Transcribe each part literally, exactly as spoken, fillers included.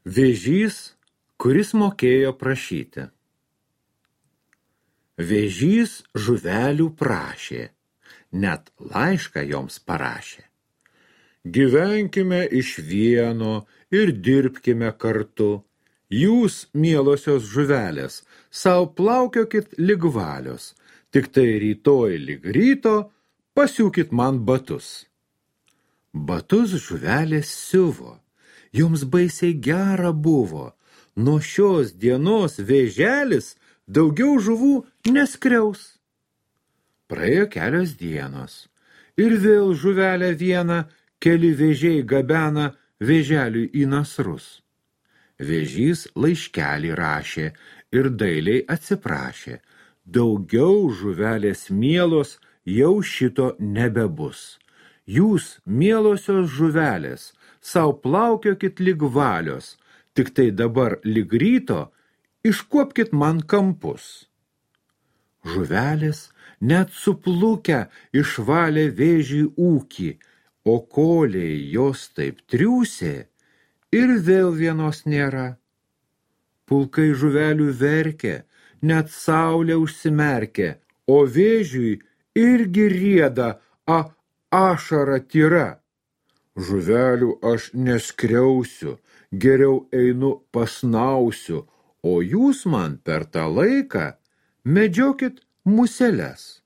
Vėžys, kuris mokėjo prašyti. Vėžys žuvelių prašė, net laišką joms parašė. Gyvenkime iš vieno ir dirbkime kartu. Jūs, mielosios žuvelės, sau plaukiokit lig valios, tik tai rytoj lig ryto pasiūkit man batus. Batus žuvelės siuvo, joms baisiai gera buvo. Nuo šios dienos vėželis daugiau žuvų neskriaus. Praėjo kelios dienos ir vėl žuvelę vieną keli vėžiai gabena vėželiui į nasrus. Vėžys laiškelį rašė ir dailiai atsiprašė. Daugiau žuvelės mielos jau šito nebebus. Jūs, mielosios žuvelės, sau plaukiokit lig valios, tik tai dabar lig ryto iškuopkit man kampus. Žuvelės net suplukę išvalė vėžį ūkį, o koliai jos taip triūsė ir vėl vienos nėra. Pulkai žuvelių verkė, net saulė užsimerkė, o vėžiui irgi rieda a ašara tyra. Žuvelių aš neskriausiu, geriau einu pasnausiu, o jūs man per tą laiką medžiokit museles.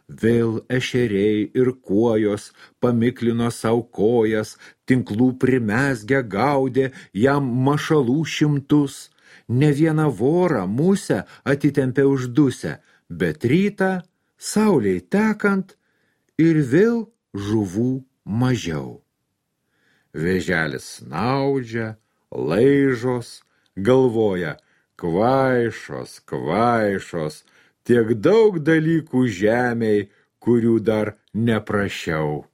Vėl ešeriai ir kuojos pamiklino sau kojas, tinklų primesgę gaudė jam mašalų šimtus. Ne vieną vorą musę atitempė uždusę, bet rytą, saulei tekant, ir vėl žuvų mažiau. Vėželis snaudžia, laižos, galvoja, kvaišos, kvaišos, tiek daug dalykų žemėj, kurių dar neprašiau.